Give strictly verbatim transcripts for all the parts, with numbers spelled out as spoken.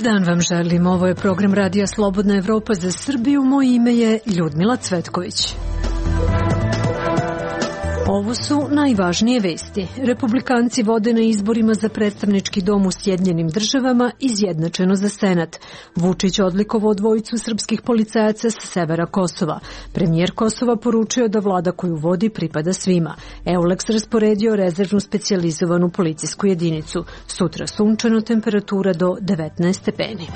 Dobar dan vam želim. Ovo je program Radija Slobodna Evropa za Srbiju. Moje ime je Ljudmila Cvetković. Ovo su najvažnije vesti. Republikanci vode na izborima za predstavnički dom u Sjedinjenim državama izjednačeno za Senat. Vučić odlikovao dvojicu srpskih policajaca sa severa Kosova. Premijer Kosova poručio da vlada koju vodi pripada svima. Euleks rasporedio rezervnu specijalizovanu policijsku jedinicu. Sutra sunčano, temperatura do devetnaest stepeni.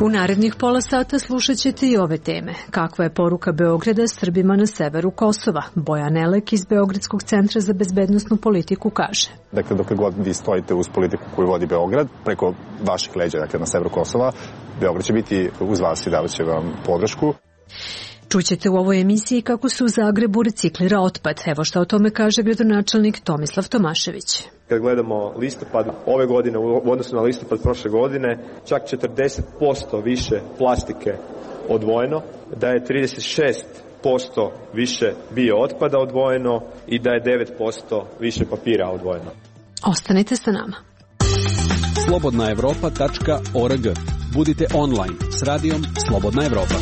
U narednih pola sata slušat ćete i ove teme. Kakva je poruka Beograda Srbima na severu Kosova? Bojan Elek iz Beogradskog centra za bezbednosnu politiku kaže. Dakle, dok god vi stojite uz politiku koju vodi Beograd, preko vaših leđa, dakle na severu Kosova, Beograd će biti uz vas i davat će vam podršku. Čućete u ovoj emisiji kako se u Zagrebu reciklira otpad. Evo šta o tome kaže gradonačelnik Tomislav Tomašević. Kad gledamo listopad ove godine u odnosu na listopad prošle godine, čak četrdeset posto više plastike odvojeno, da je trideset šest posto više bio otpada odvojeno i da je devet posto više papira odvojeno. Ostanite sa nama. slobodna evropa tačka org. Budite online s radijom Slobodna Evropa.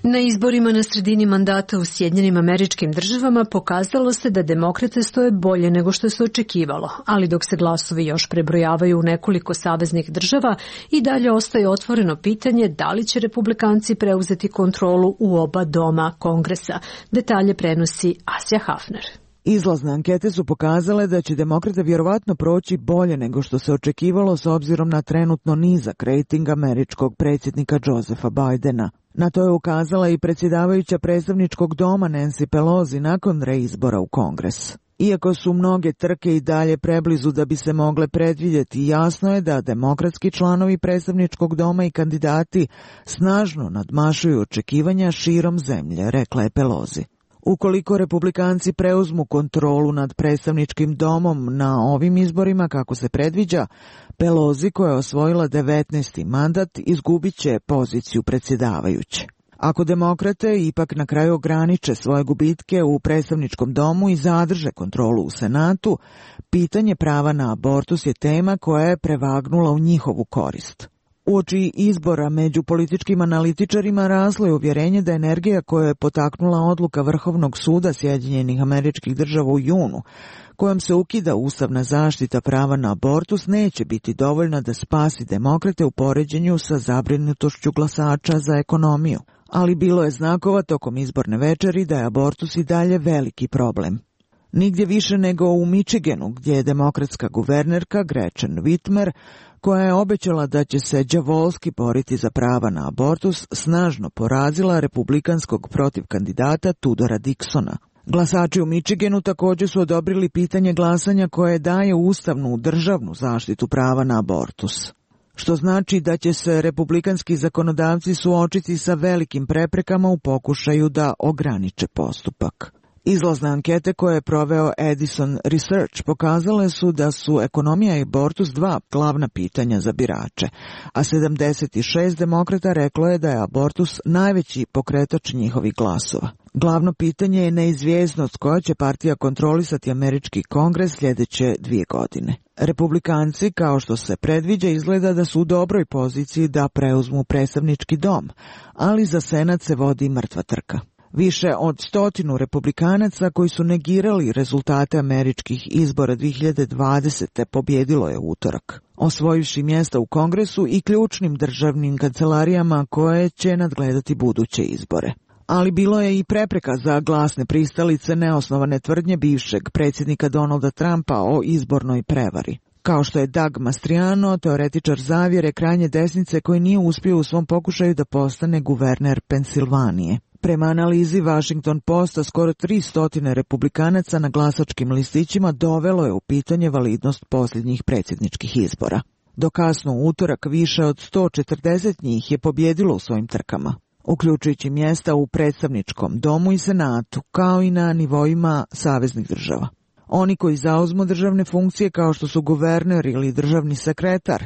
Na izborima na sredini mandata u Sjedinjenim Američkim Državama pokazalo se da demokrate stoje bolje nego što se očekivalo, ali dok se glasovi još prebrojavaju u nekoliko saveznih država, i dalje ostaje otvoreno pitanje da li će republikanci preuzeti kontrolu u oba doma Kongresa. Detalje prenosi Asja Hafner. Izlazne ankete su pokazale da će demokrate vjerovatno proći bolje nego što se očekivalo s obzirom na trenutno nizak rejting američkog predsjednika Josepha Bidena. Na to je ukazala i predsjedavajuća predstavničkog doma Nancy Pelosi nakon reizbora u Kongres. Iako su mnoge trke i dalje preblizu da bi se mogle predvidjeti, jasno je da demokratski članovi predstavničkog doma i kandidati snažno nadmašuju očekivanja širom zemlje, rekla je Pelosi. Ukoliko republikanci preuzmu kontrolu nad predstavničkim domom na ovim izborima kako se predviđa, Pelosi, koja je osvojila devetnaesti mandat, izgubit će poziciju predsjedavajuće. Ako demokrate ipak na kraju ograniče svoje gubitke u predstavničkom domu i zadrže kontrolu u Senatu, pitanje prava na abortus je tema koja je prevagnula u njihovu korist. Uoči izbora među političkim analitičarima raslo je uvjerenje da energija koja je potaknula odluka Vrhovnog suda Sjedinjenih Američkih Država u junu, kojom se ukida ustavna zaštita prava na abortus, neće biti dovoljna da spasi demokrate u poređenju sa zabrinutošću glasača za ekonomiju. Ali bilo je znakova tokom izborne večeri da je abortus i dalje veliki problem. Nigdje više nego u Michiganu, gdje je demokratska guvernerka Gretchen Whitmer, koja je obećala da će se đavolski boriti za prava na abortus, snažno porazila republikanskog protivkandidata Tudora Dixona. Glasači u Michiganu također su odobrili pitanje glasanja koje daje ustavnu državnu zaštitu prava na abortus, što znači da će se republikanski zakonodavci suočiti sa velikim preprekama u pokušaju da ograniče postupak. Izlazne ankete koje je proveo Edison Research pokazale su da su ekonomija i abortus dva glavna pitanja za birače, a sedamdeset šest demokrata reklo je da je abortus najveći pokretač njihovih glasova. Glavno pitanje je neizvjesnost koja će partija kontrolisati američki kongres sljedeće dvije godine. Republikanci, kao što se predviđa, izgleda da su u dobroj poziciji da preuzmu predstavnički dom, ali za Senat se vodi mrtva trka. Više od stotinu republikanaca koji su negirali rezultate američkih izbora dvije hiljade dvadesete pobjedilo je utorak, osvojivši mjesta u Kongresu i ključnim državnim kancelarijama koje će nadgledati buduće izbore. Ali bilo je i prepreka za glasne pristalice neosnovane tvrdnje bivšeg predsjednika Donalda Trumpa o izbornoj prevari. Kao što je Doug Mastriano, teoretičar zavjere krajnje desnice koji nije uspio u svom pokušaju da postane guverner Pensilvanije. Prema analizi Washington Posta, skoro tristo republikanaca na glasačkim listićima dovelo je u pitanje validnost posljednjih predsjedničkih izbora. Do kasno u utorak više od sto četrdeset njih je pobjedilo u svojim trkama, uključujući mjesta u predstavničkom domu i senatu, kao i na nivoima saveznih država. Oni koji zauzmu državne funkcije kao što su guverner ili državni sekretar,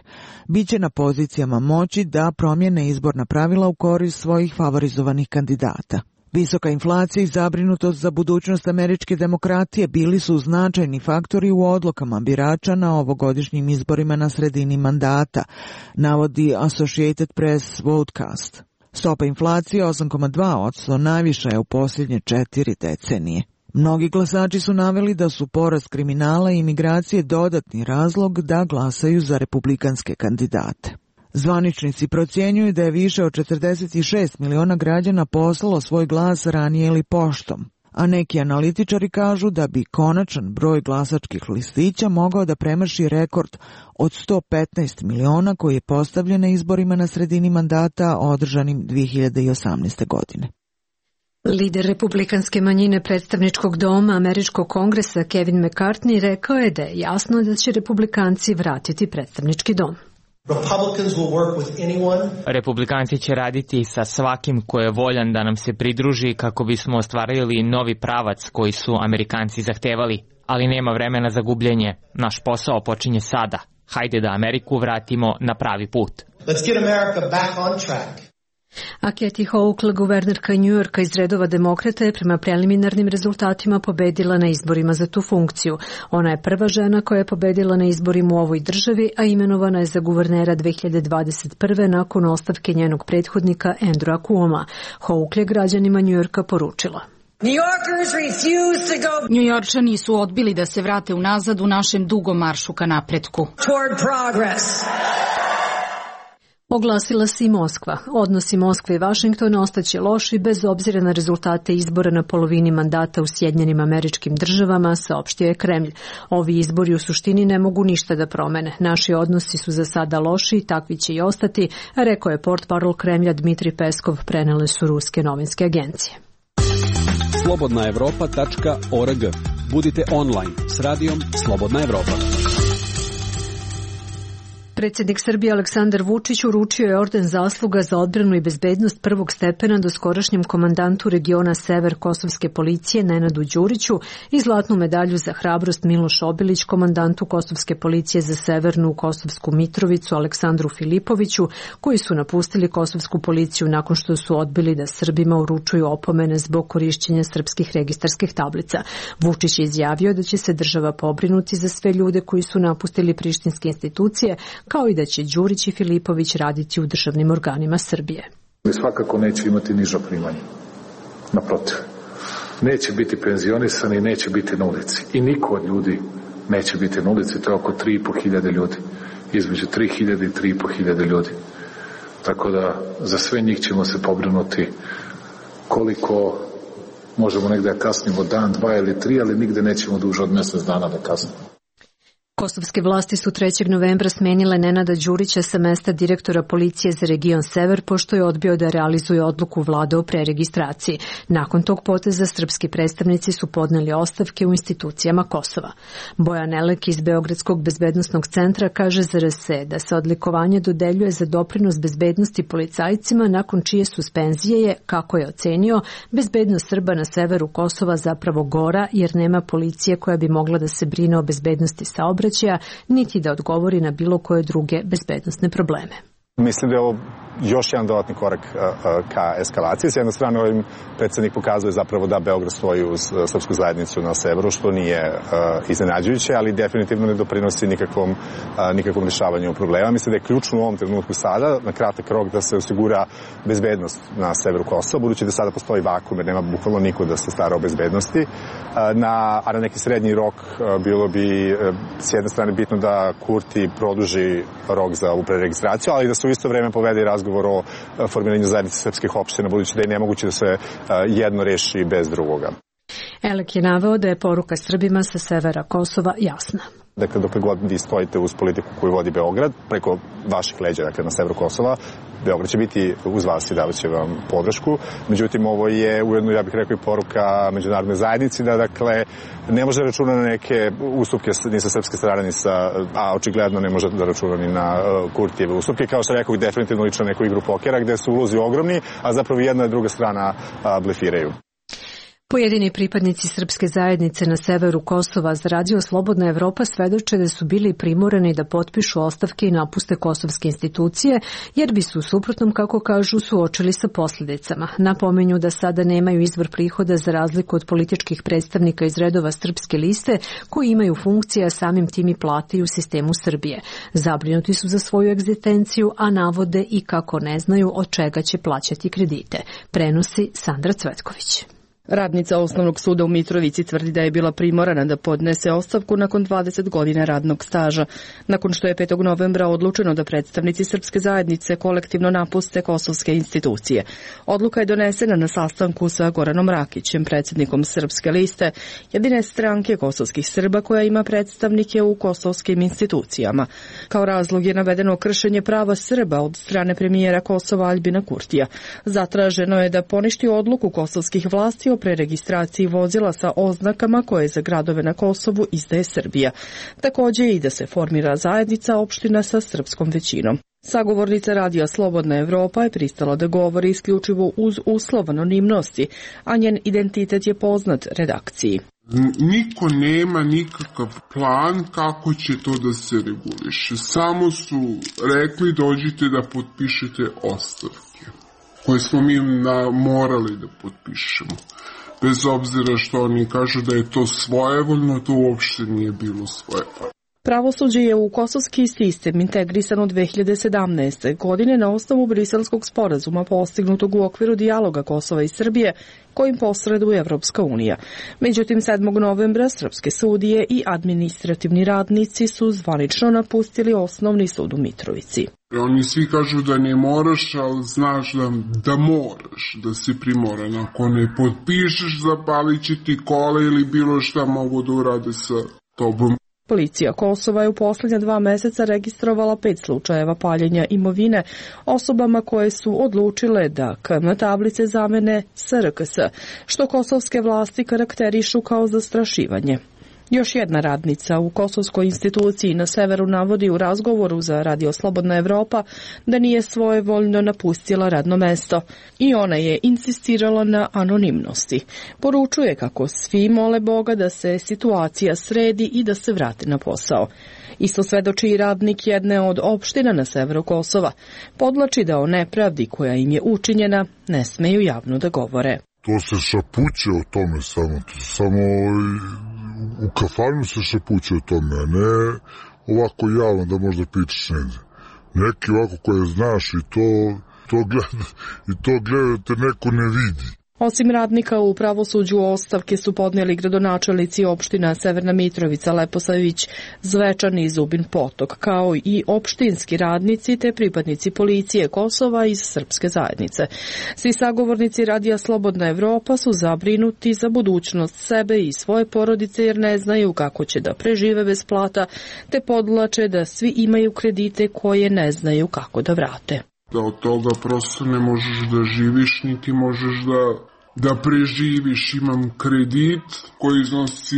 bit će na pozicijama moći da promijene izborna pravila u korist svojih favorizovanih kandidata. Visoka inflacija i zabrinutost za budućnost američke demokratije bili su značajni faktori u odlukama birača na ovogodišnjim izborima na sredini mandata, navodi Associated Press Votecast. Stopa inflacije osam zarez dva posto najviša je u posljednje četiri decenije. Mnogi glasači su naveli da su porast kriminala i imigracije dodatni razlog da glasaju za republikanske kandidate. Zvaničnici procjenjuju da je više od četrdeset šest miliona građana poslalo svoj glas ranije ili poštom, a neki analitičari kažu da bi konačan broj glasačkih listića mogao da premaši rekord od sto petnaest miliona koji je postavljen na izborima na sredini mandata održanim dvije hiljade osamnaeste. godine. Lider republikanske manjine predstavničkog doma Američkog kongresa Kevin McCarthy rekao je da je jasno da će republikanci vratiti predstavnički dom. Republikanci će raditi sa svakim ko je voljan da nam se pridruži kako bismo ostvarili novi pravac koji su Amerikanci zahtevali, ali nema vremena za gubljenje. Naš posao počinje sada. Hajde da Ameriku vratimo na pravi put. Let's get America back on track. A Kathy Hochul, guvernerka New Yorka iz redova demokrata, je prema preliminarnim rezultatima pobedila na izborima za tu funkciju. Ona je prva žena koja je pobedila na izborima u ovoj državi, a imenovana je za guvernera dve hiljade dvadeset prve. nakon ostavke njenog prethodnika Andrewa Cuoma. Hochul je građanima New Yorka poručila: Njujorčani su odbili da se vrate unazad u našem dugom maršu ka napretku. Oglasila se i Moskva. Odnosi Moskve i Vašingtona ostaće loši bez obzira na rezultate izbora na polovini mandata u Sjedinjenim Američkim Državama, saopštio je Kremlj. Ovi izbori u suštini ne mogu ništa da promene. Naši odnosi su za sada loši i takvi će i ostati, rekao je portparol Kremlja Dmitrij Peskov, prenele su ruske novinske agencije. slobodna evropa tačka org. Budite online s radijom Slobodna Evropa. Predsjednik Srbije Aleksandar Vučić uručio je orden zasluga za odbranu i bezbednost prvog stepena doskorašnjem komandantu regiona Sever Kosovske policije Nenadu Đuriću i zlatnu medalju za hrabrost Miloš Obilić komandantu Kosovske policije za Severnu Kosovsku Mitrovicu Aleksandru Filipoviću, koji su napustili Kosovsku policiju nakon što su odbili da Srbima uručuju opomene zbog korišćenja srpskih registarskih tablica. Vučić je izjavio da će se država pobrinuti za sve ljude koji su napustili prištinske institucije, kao i da će Đurić i Filipović raditi u državnim organima Srbije. Svakako neće imati niža primanja. Naprotiv. Neće biti penzionisani, neće biti na ulici. I niko od ljudi neće biti na ulici, to je oko tri i po hiljade ljudi. Između tri hiljade i tri i po hiljade ljudi. Tako da za sve njih ćemo se pobrinuti koliko možemo negde da kasnimo dan, dva ili tri, ali nigde nećemo duže od mjesec dana da kasnimo. Kosovske vlasti su trećeg novembra smenile Nenada Đurića sa mesta direktora policije za region Sever, pošto je odbio da realizuje odluku vlade o preregistraciji. Nakon tog poteza srpski predstavnici su podneli ostavke u institucijama Kosova. Bojan Elek iz Beogradskog bezbednosnog centra kaže za R S E da se odlikovanje dodeljuje za doprinos bezbednosti policajcima, nakon čije suspenzije je, kako je ocenio, bezbednost Srba na severu Kosova zapravo gora, jer nema policije koja bi mogla da se brine o bezbednosti saobraćaja, niti da odgovori na bilo koje druge bezbednosne probleme. Mislim da je ovo još jedan dodatni korak ka eskalaciji. S jedne strane, ovim predsjednik pokazuje zapravo da Beograd stoji uz srpsku zajednicu na severu, što nije iznenađujuće, ali definitivno ne doprinosi nikakvom, nikakvom rješavanju problema. Mislim da je ključno u ovom trenutku sada, na kratak rok, da se osigura bezbednost na severu Kosova, budući da sada postoji vakum, jer nema bukvalno niko da se stara o bezbednosti. Na, a na neki srednji rok bilo bi s jedne strane bitno da Kurti produži rok za ovu preregistraciju, ali da se u isto vrijeme povede i razgovor o formiranju zajednice srpskih opština, budući da je nemoguće da se jedno reši bez drugoga. Elek je naveo da je poruka Srbima sa severa Kosova jasna. Dakle, dok god vi stojite uz politiku koju vodi Beograd, preko vaših leđa, dakle, na severu Kosova, Beograd će biti uz vas i davat će vam podršku. Međutim, ovo je ujedno, ja bih rekao, i poruka međunarodne zajednici da, dakle, ne može računa na neke ustupke ni sa srpske strane, ni sa, a očigledno ne može da računa ni na uh, Kurtijeve ustupke. Kao što rekao, definitivno lično neku igru pokera, gde su ulozi ogromni, a zapravo jedna i druga strana uh, blefiraju. Pojedini pripadnici srpske zajednice na severu Kosova za radio Slobodna Evropa svedoče da su bili primorani da potpišu ostavke i napuste kosovske institucije, jer bi su u suprotnom, kako kažu, suočili sa posljedicama. Napomenju da sada nemaju izvor prihoda za razliku od političkih predstavnika iz redova Srpske liste, koji imaju funkcije, a samim tim i plate u sistemu Srbije. Zabrinuti su za svoju egzistenciju, a navode i kako ne znaju od čega će plaćati kredite. Prenosi Sandra Cvetković. Radnica Osnovnog suda u Mitrovici tvrdi da je bila primorana da podnese ostavku nakon dvadeset godina radnog staža, nakon što je petog novembra odlučeno da predstavnici srpske zajednice kolektivno napuste kosovske institucije. Odluka je donesena na sastanku sa Goranom Rakićem, predsjednikom Srpske liste, jedine stranke kosovskih Srba koja ima predstavnike u kosovskim institucijama. Kao razlog je navedeno kršenje prava Srba od strane premijera Kosova Aljbina Kurtija. Zatraženo je da poništi odluku kosovskih vlasti o preregistraciji vozila sa oznakama koje za gradove na Kosovu izdaje Srbija. Također i da se formira zajednica opština sa srpskom većinom. Sagovornica radija Slobodna Evropa je pristala da govori isključivo uz uslov anonimnosti, a njen identitet je poznat redakciji. Niko nema nikakav plan kako će to da se reguliše. Samo su rekli dođite da potpišete ostavke, koje smo mi na, morali da potpišemo. Bez obzira što oni kažu da je to svojevoljno, to uopšte nije bilo svojevoljno. Pravosuđe je u kosovski sistem integrisano dve hiljade sedamnaeste. godine na osnovu Briselskog sporazuma postignutog u okviru dijaloga Kosova i Srbije, kojim posreduje Evropska unija. Međutim, sedmog novembra srpske sudije i administrativni radnici su zvanično napustili Osnovni sud u Mitrovici. Oni svi kažu da ne moraš, ali znaš da, da moraš, da si primoran. Ako ne potpišeš, zapalit će ti kola ili bilo šta mogu da urade sa tobom. Policija Kosova je u posljednja dva meseca registrovala pet slučajeva paljenja imovine osobama koje su odlučile da K M tablice zamene S R K S, što kosovske vlasti karakterišu kao zastrašivanje. Još jedna radnica u kosovskoj instituciji na severu navodi u razgovoru za radio Slobodna Evropa da nije svojevoljno napustila radno mesto i ona je insistirala na anonimnosti. Poručuje kako svi mole Boga da se situacija sredi i da se vrate na posao. Isto svedoči i radnik jedne od opština na severu Kosova. Podlači da o nepravdi koja im je učinjena ne smeju javno da govore. To se šapuće o tome samo, samo u kafanu se šapuće o tome, a ne ovako javno da možda pričaš negdje. Neki ovako koje znaš i to, to gleda, i to gledate neko ne vidi. Osim radnika u pravosuđu ostavke su podnijeli gradonačelnici opština Severna Mitrovica, Leposavić, Zvečan i Zubin Potok, kao i opštinski radnici te pripadnici policije Kosova iz srpske zajednice. Svi sagovornici radija Slobodna Evropa su zabrinuti za budućnost sebe i svoje porodice jer ne znaju kako će da prežive bez plata, te podlače da svi imaju kredite koje ne znaju kako da vrate. Da od toga prosto ne možeš da živiš, niti možeš da, da preživiš. Imam kredit koji iznosi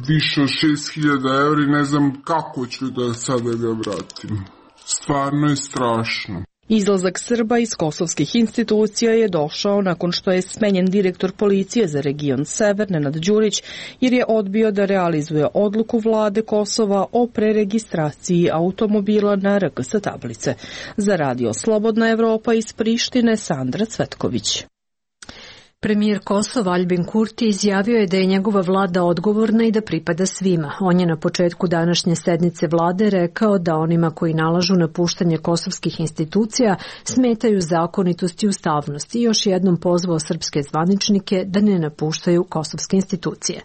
više od šest hiljada evra i ne znam kako ću da sada ga vratim. Stvarno je strašno. Izlazak Srba iz kosovskih institucija je došao nakon što je smenjen direktor policije za region Sever, Nenad Đurić, jer je odbio da realizuje odluku vlade Kosova o preregistraciji automobila na R K S tablice. Za radio Slobodna Evropa iz Prištine, Sandra Cvetković. Premijer Kosova Aljbin Kurti izjavio je da je njegova vlada odgovorna i da pripada svima. On je na početku današnje sednice vlade rekao da onima koji nalažu napuštanje kosovskih institucija smetaju zakonitost i ustavnost i još jednom pozvao srpske zvaničnike da ne napuštaju kosovske institucije.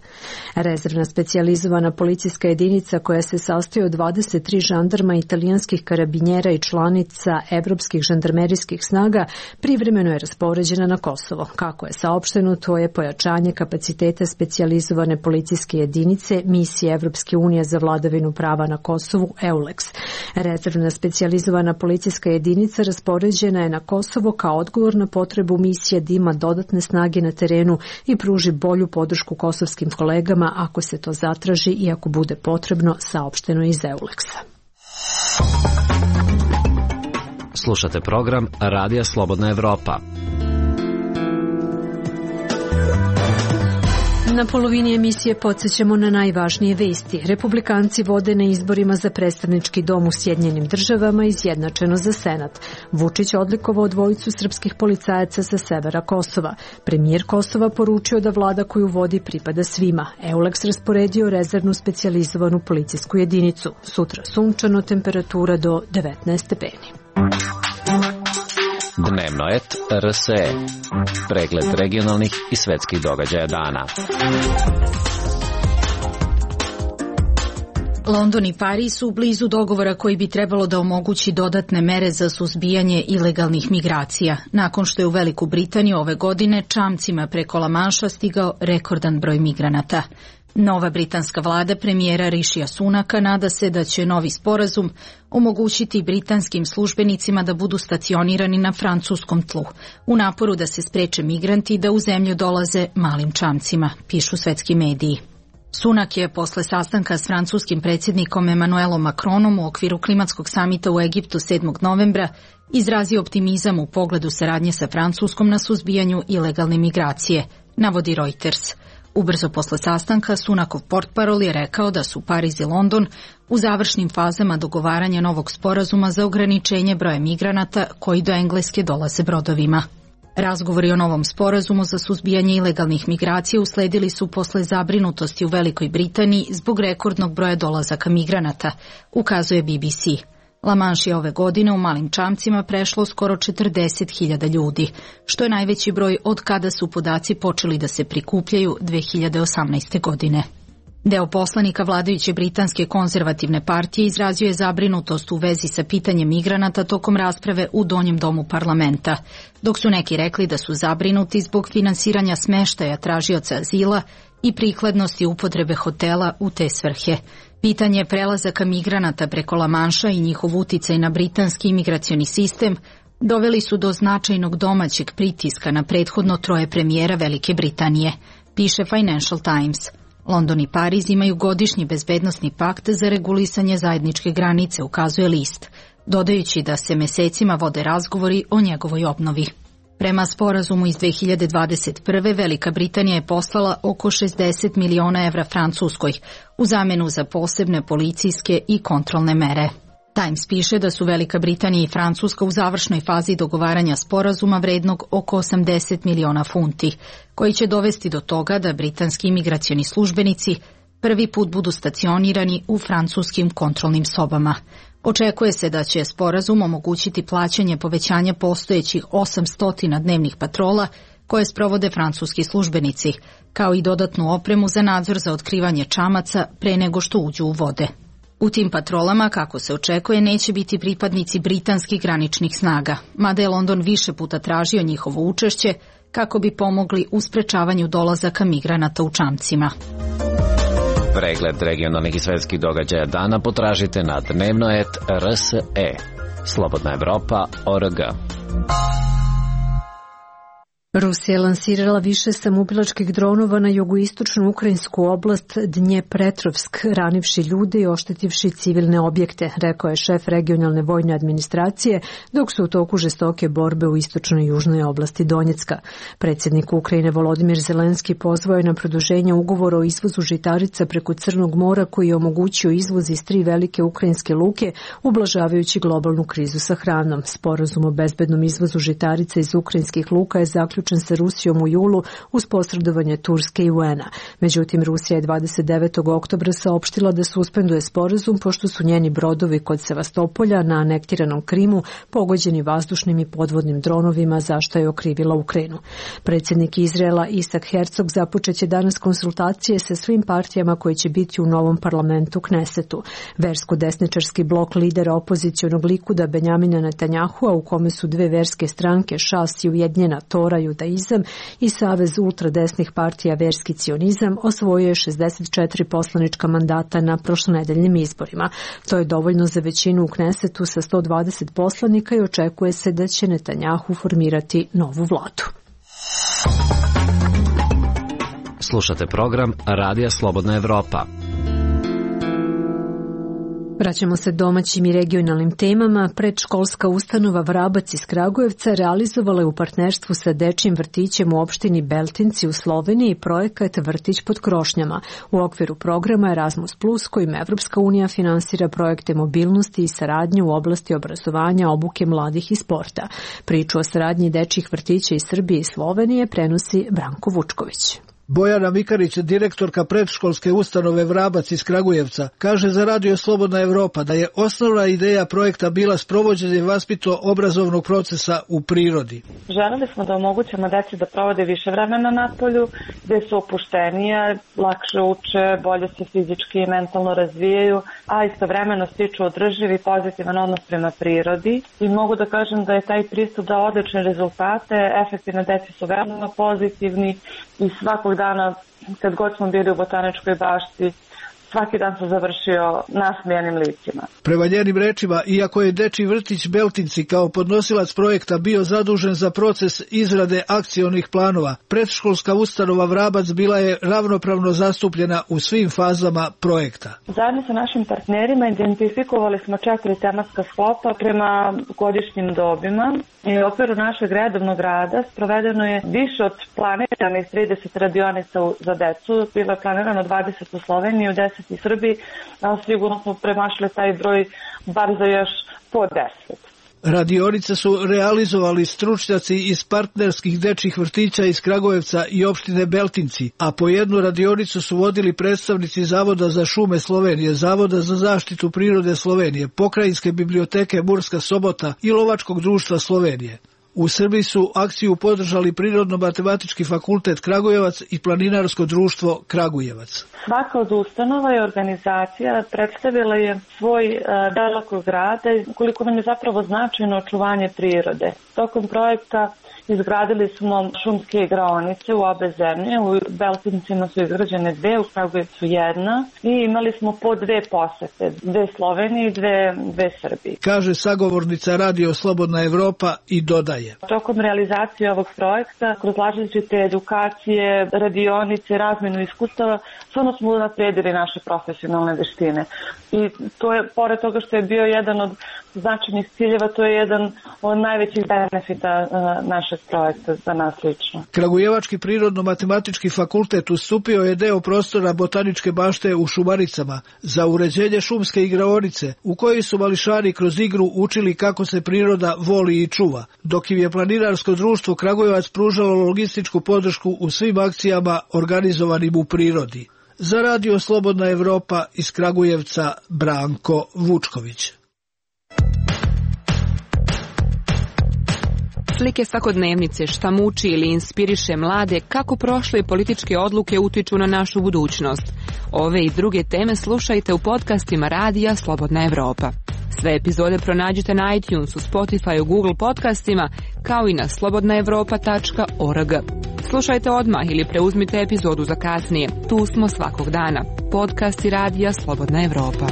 Rezervna specijalizovana policijska jedinica koja se sastoji od dvadeset tri žandarma, italijanskih karabinjera i članica evropskih žandarmerijskih snaga privremeno je raspoređena na Kosovo. Kako je saopšteno, to je pojačanje kapaciteta specijalizovane policijske jedinice misije Evropske unije za vladavinu prava na Kosovu EULEX. Rezervna specijalizovana policijska jedinica raspoređena je na Kosovo kao odgovor na potrebu misije da ima dodatne snage na terenu i pruži bolju podršku kosovskim kolegama ako se to zatraži i ako bude potrebno, saopšteno iz EULEX-a. Slušate program Radija Slobodna Evropa. Na polovini emisije podsjećamo na najvažnije vesti. Republikanci vode na izborima za predstavnički dom u Sjedinjenim državama izjednačeno za Senat. Vučić odlikovao dvojicu srpskih policajaca sa severa Kosova. Premijer Kosova poručio da vlada koju vodi pripada svima. Euleks rasporedio rezervnu specijalizovanu policijsku jedinicu. Sutra sunčano, temperatura do devetnaest stepeni. Dnevno et R S E. Pregled regionalnih i svetskih događaja dana. London i Pariz su blizu dogovora koji bi trebalo da omogući dodatne mere za suzbijanje ilegalnih migracija, nakon što je u Veliku Britaniju ove godine čamcima preko La Manša stigao rekordan broj migranata. Nova britanska vlada premijera Rišija Sunaka nada se da će novi sporazum omogućiti britanskim službenicima da budu stacionirani na francuskom tlu, u naporu da se spreče migranti da u zemlju dolaze malim čamcima, pišu svetski mediji. Sunak je posle sastanka s francuskim predsjednikom Emmanuelom Macronom u okviru klimatskog samita u Egiptu sedmog novembra izrazio optimizam u pogledu saradnje sa Francuskom na suzbijanju ilegalne migracije, navodi Reuters. Ubrzo posle sastanka Sunakov portparol je rekao da su Pariz i London u završnim fazama dogovaranja novog sporazuma za ograničenje broja migranata koji do Engleske dolaze brodovima. Razgovori o novom sporazumu za suzbijanje ilegalnih migracija usledili su posle zabrinutosti u Velikoj Britaniji zbog rekordnog broja dolazaka migranata, ukazuje B B C. La Manche je ove godine u malim čamcima prešlo skoro četrdeset hiljada ljudi, što je najveći broj od kada su podaci počeli da se prikupljaju dve hiljade osamnaeste. godine. Deo poslanika vladajuće britanske konzervativne partije izrazio je zabrinutost u vezi sa pitanjem migranata tokom rasprave u Donjem domu parlamenta, dok su neki rekli da su zabrinuti zbog finansiranja smeštaja tražioca azila i prikladnosti upotrebe hotela u te svrhe. Pitanje prelazaka migranata preko La Manša i njihov uticaj na britanski imigracioni sistem doveli su do značajnog domaćeg pritiska na prethodno troje premijera Velike Britanije, piše Financial Times. London i Pariz imaju godišnji bezbednosni pakt za regulisanje zajedničke granice, ukazuje list, dodajući da se mesecima vode razgovori o njegovoj obnovi. Prema sporazumu iz dve hiljade dvadeset prve. Velika Britanija je poslala oko šezdeset miliona evra Francuskoj u zamenu za posebne policijske i kontrolne mere. Times piše da su Velika Britanija i Francuska u završnoj fazi dogovaranja sporazuma vrednog oko osamdeset miliona funti, koji će dovesti do toga da britanski imigracioni službenici prvi put budu stacionirani u francuskim kontrolnim sobama. Očekuje se da će sporazum omogućiti plaćanje povećanja postojećih osamsto dnevnih patrola koje sprovode francuski službenici, kao i dodatnu opremu za nadzor za otkrivanje čamaca pre nego što uđu u vode. U tim patrolama, kako se očekuje, neće biti pripadnici britanskih graničnih snaga, mada je London više puta tražio njihovo učešće kako bi pomogli u sprečavanju dolazaka migranata u čamcima. Pregled regionalnih i svetskih događaja dana potražite na dnevno et R S E. Slobodna Evropa, O R G. Rusija je lansirala više samoubilačkih dronova na jugoistočnu ukrajinsku oblast Dnjepretrovsk, ranivši ljude i oštetivši civilne objekte, rekao je šef regionalne vojne administracije, dok su u toku žestoke borbe u istočnoj i južnoj oblasti Donjecka. Predsjednik Ukrajine Volodimir Zelenski pozvao je na produženje ugovora o izvozu žitarica preko Crnog mora koji je omogućio izvoz iz tri velike ukrajinske luke, ublažavajući globalnu krizu sa hranom. Sporazum o bezbednom izvozu žitarica iz ukrajinskih luka je zaključen sa Rusijom u julu uz posredovanje Turske i U N-a. Međutim, Rusija je dvadeset devetog oktobra saopštila da suspenduje sporazum pošto su njeni brodovi kod Sevastopolja na anektiranom Krimu pogođeni vazdušnim i podvodnim dronovima, za što je okrivila Ukrajinu. Predsjednik Izraela Isak Herzog započeće danas konsultacije sa svim partijama koje će biti u novom parlamentu Knesetu. Versko-desničarski blok lidera opozicionog Likuda Benjamina Netanjahua, u kome su dve verske stranke, Šas i Ujedinjena Tora Judaizam i Savez ultradesnih partija Verski cionizam, osvojio je šezdeset četiri poslanička mandata na prošlonedeljnim izborima. To je dovoljno za većinu u Knesetu sa sto dvadeset poslanika i očekuje se da će Netanjahu formirati novu vladu. Slušate program Radija Slobodna Evropa. Vraćamo se domaćim i regionalnim temama. Predškolska ustanova Vrabac iz Kragujevca realizovala je u partnerstvu sa dečjim vrtićem u opštini Beltinci u Sloveniji projekat Vrtić pod krošnjama u okviru programa Erasmus plus, kojim Evropska unija finansira projekte mobilnosti i saradnje u oblasti obrazovanja, obuke mladih i sporta. Priču o saradnji dečjih vrtića iz Srbije i Slovenije prenosi Branko Vučković. Bojana Mikarić, direktorka predškolske ustanove Vrabac iz Kragujevca, kaže za Radio Slobodna Evropa da je osnovna ideja projekta bila sprovođenje vaspitno-obrazovnog procesa u prirodi. Želeli smo da omogućimo deci da provode više vremena na polju, gde su opuštenije, lakše uče, bolje se fizički i mentalno razvijaju, a istovremeno stiču održiv i pozitivan odnos prema prirodi. I mogu da kažem da je taj pristup dao odlične rezultate, efekti na deci su veoma pozitivni i svakog dana, kad god smo bili u botaničkoj bašti, svaki dan se završio nasmijanim licima. Prema njenim rečima, iako je dečji vrtić Beltinci kao podnosilac projekta bio zadužen za proces izrade akcionih planova, predškolska ustanova Vrabac bila je ravnopravno zastupljena u svim fazama projekta. Zajedno sa našim partnerima identifikovali smo četiri tematska sklopa prema godišnjim dobima i u okviru našeg redovnog rada sprovedeno je više od planiranih trideset radionica za decu. Bilo je planirano dvadeset u Sloveniji, u deset i Srbiji, a sigurno smo premašili taj broj bar za još po deset. Radionice su realizovali stručnjaci iz partnerskih dečjih vrtića iz Kragujevca i opštine Beltinci, a po jednu radionicu su vodili predstavnici Zavoda za šume Slovenije, Zavoda za zaštitu prirode Slovenije, Pokrajinske biblioteke Murska Sobota i Lovačkog društva Slovenije. U Srbiji su akciju podržali Prirodno-matematički fakultet Kragujevac i Planinarsko društvo Kragujevac. Svaka od ustanova i organizacija predstavila je svoj uh, delokrug rada i koliko nam je zapravo značajno očuvanje prirode. Tokom projekta izgradili smo šumske igraonice u obe zemlje, u Beltincima su izgrađene dve, u Kragujevcu jedna i imali smo po dve posete, dve Slovenije i dve, dve Srbije. Kaže sagovornica Radio Slobodna Evropa i dodaje. Tokom realizacije ovog projekta, kroz različite edukacije, radionice, razmenu iskustava, stvarno smo unapredili naše profesionalne veštine. I to je, pored toga što je bio jedan od značajnih ciljeva, to je jedan od najvećih benefita uh, našeg projekta za nas lično. Kragujevački prirodno-matematički fakultet ustupio je deo prostora botaničke bašte u Šumaricama za uređenje šumske igraonice, u kojoj su mališani kroz igru učili kako se priroda voli i čuva, dok im je Planinarsko društvo Kragujevac pružalo logističku podršku u svim akcijama organizovanim u prirodi. Za Radio Slobodna Evropa iz Kragujevca Branko Vučković. Slike svakodnevnice, šta muči ili inspiriše mlade, kako prošle političke odluke utiču na našu budućnost. Ove i druge teme slušajte u podcastima Radija Slobodna Evropa. Sve epizode pronađite na iTunesu, Spotify, Google podcastima, kao i na slobodna evropa tačka org. Slušajte odmah ili preuzmite epizodu za kasnije. Tu smo svakog dana. Podcasti Radija Slobodna Evropa.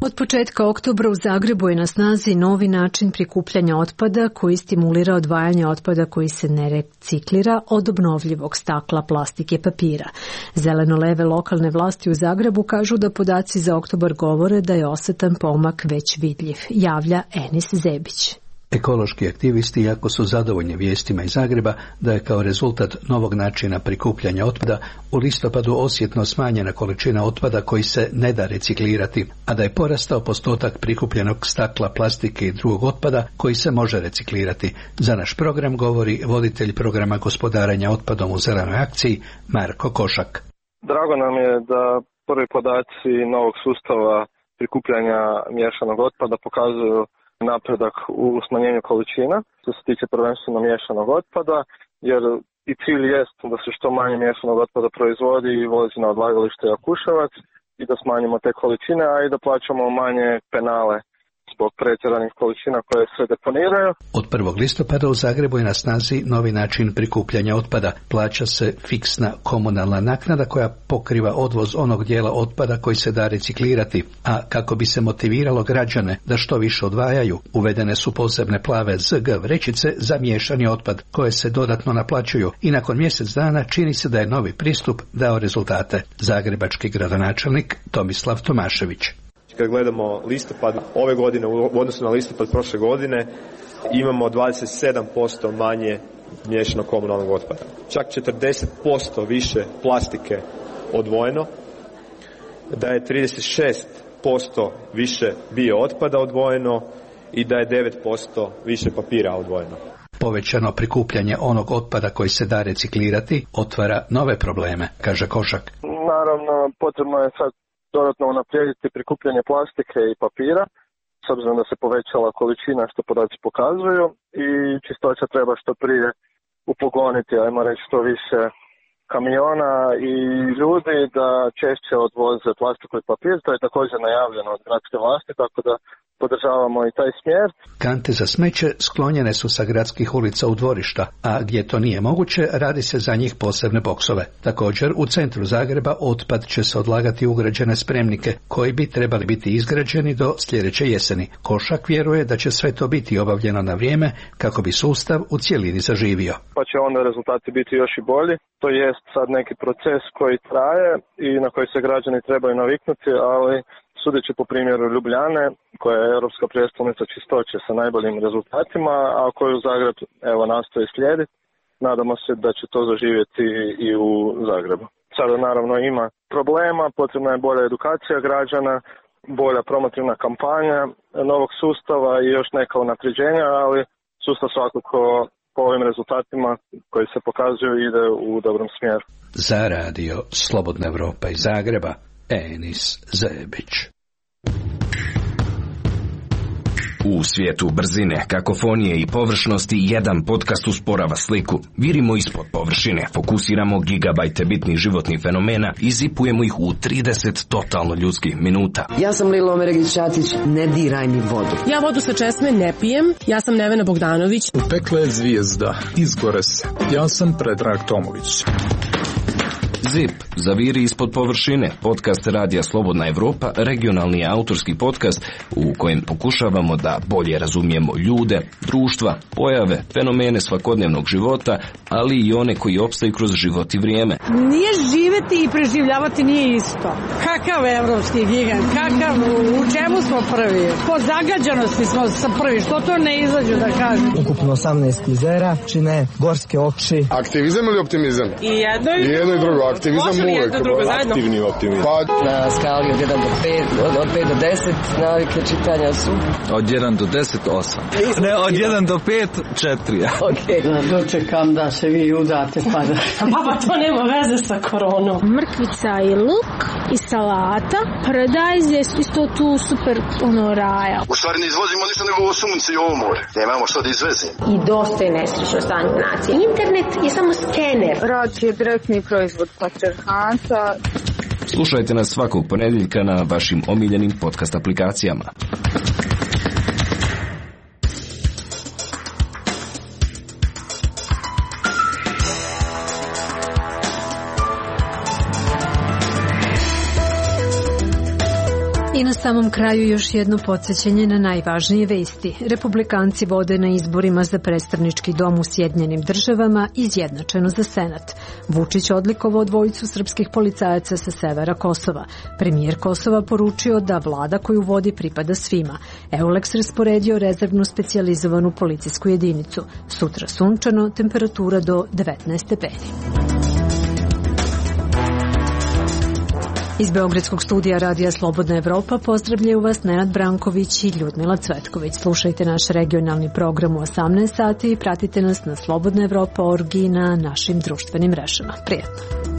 Od početka oktobra u Zagrebu je na snazi novi način prikupljanja otpada koji stimulira odvajanje otpada koji se ne reciklira od obnovljivog stakla, plastike, papira. Zeleno-leve lokalne vlasti u Zagrebu kažu da podaci za oktobar govore da je osetan pomak već vidljiv, javlja Enis Zebić. Ekološki aktivisti jako su zadovoljni vijestima iz Zagreba da je kao rezultat novog načina prikupljanja otpada u listopadu osjetno smanjena količina otpada koji se ne da reciklirati, a da je porastao postotak prikupljenog stakla, plastike i drugog otpada koji se može reciklirati. Za naš program govori voditelj programa gospodarenja otpadom u Zelenoj akciji Marko Košak. Drago nam je da prvi podaci novog sustava prikupljanja miješanog otpada pokazuju napredak u smanjenju količina, što se tiče prvenstveno miješanog otpada, jer i cilj jest da se što manje miješanog otpada proizvodi i vozi na odlagalište Jakuševac i da smanjimo te količine, a i da plaćamo manje penale zbog pretjeranih količina koje se deponiraju. Od prvog listopada u Zagrebu je na snazi novi način prikupljanja otpada. Plaća se fiksna komunalna naknada koja pokriva odvoz onog dijela otpada koji se da reciklirati, a kako bi se motiviralo građane da što više odvajaju, uvedene su posebne plave Z G vrećice za miješani otpad koje se dodatno naplaćuju i nakon mjesec dana čini se da je novi pristup dao rezultate. Zagrebački gradonačelnik Tomislav Tomašević. Kad gledamo listopad ove godine u odnosu na listopad prošle godine, imamo dvadeset sedam posto manje miješanog komunalnog otpada. Čak četrdeset posto više plastike odvojeno, da je trideset šest posto više bio otpada odvojeno i da je devet posto više papira odvojeno. Povećano prikupljanje onog otpada koji se da reciklirati otvara nove probleme, kaže Košak. Naravno, potrebno je sad dodatno unaprijediti prikupljanje plastike i papira, s obzirom da se povećala količina što podaci pokazuju i čistoća treba što prije upogoniti, ajmo reći što više kamiona i ljudi da češće odvoze plastiku i papir. To je također najavljeno od gradske vlasti, tako da podržavamo i taj smjer. Kante za smeće sklonjene su sa gradskih ulica u dvorišta, a gdje to nije moguće, radi se za njih posebne boksove. Također, u centru Zagreba otpad će se odlagati u ugrađene spremnike, koji bi trebali biti izgrađeni do sljedeće jeseni. Košak vjeruje da će sve to biti obavljeno na vrijeme, kako bi sustav u cjelini zaživio. Pa će onda rezultati biti još i bolji. To jest sad neki proces koji traje i na koji se građani trebaju naviknuti, ali sudeći po primjeru Ljubljane, koja je europska prijestolnica čistoće sa najboljim rezultatima, a koju Zagreb evo nastoji slijediti, nadamo se da će to zaživjeti i u Zagrebu. Sada naravno ima problema, potrebna je bolja edukacija građana, bolja promotivna kampanja novog sustava i još neka unapređenja, ali sustav svakako po ovim rezultatima koji se pokazuju ide u dobrom smjeru. Za radio Slobodna Evropa iz Zagreba, Enis Zebić. U svijetu brzine, kakofonije i površnosti jedan podcast usporava sliku. Virimo ispod površine, fokusiramo gigabajte bitnih životnih fenomena i zipujemo ih u trideset totalno ljudskih minuta. Ja sam Lilo Omeregić-Ćatić, ne diraj mi vodu. Ja vodu sa česme ne pijem, ja sam Nevena Bogdanović. U pekle je zvijezda, izgore se. Ja sam Predrag Tomović. Zip, zaviri ispod površine, podcast Radija Slobodna Evropa, regionalni autorski podcast u kojem pokušavamo da bolje razumijemo ljude, društva, pojave, fenomene svakodnevnog života, ali i one koji opstaju kroz život i vrijeme. Nije živeti i preživljavati nije isto. Kakav evropski gigant, kakav, u čemu smo prvi? Po zagađanosti smo sa prvi, što to ne izađu da kažem? Ukupno osamnaest jezera, čine gorske oči. Aktivizam ili optimizam? I jedno i, I jedno i drugo. Aktivizam uvek. Aktivni optimizam. Pa, na skali od jedan do pet, od, od pet do deset, navike čitanja su? Od jedan do deset, osam. Ne, od jedan do pet, četiri. Okej. Okay. Dočekam da se vi udate pa da... Baba, to nema veze sa koronom. Mrkvica i luk i salata. Paradajz je isto tu super ono raja. U stvari ne izvozimo ništa nego ovo sunce i ovo more. Nemamo što da izvezimo. I dosta je nesrećno stanje nacije. Internet je samo skener. Rad je direktni proizvod patrijarhata. Slušajte nas svakog ponedjeljka na vašim omiljenim podcast aplikacijama. I na samom kraju još jedno podsjećanje na najvažnije vesti. Republikanci vode na izborima za predstavnički dom u Sjedinjenim državama izjednačeno za Senat. Vučić odlikovao dvojicu srpskih policajaca sa severa Kosova. Premijer Kosova poručio da vlada koju vodi pripada svima. Euleks rasporedio rezervnu specijalizovanu policijsku jedinicu. Sutra sunčano, temperatura do devetnaest stepeni. Iz Beogradskog studija Radija Slobodna Evropa pozdravljaju vas Nenad Branković i Ljudmila Cvetković. Slušajte naš regionalni program u osamnaest sati i pratite nas na slobodna evropa точка org i na našim društvenim mrežama. Prijetno!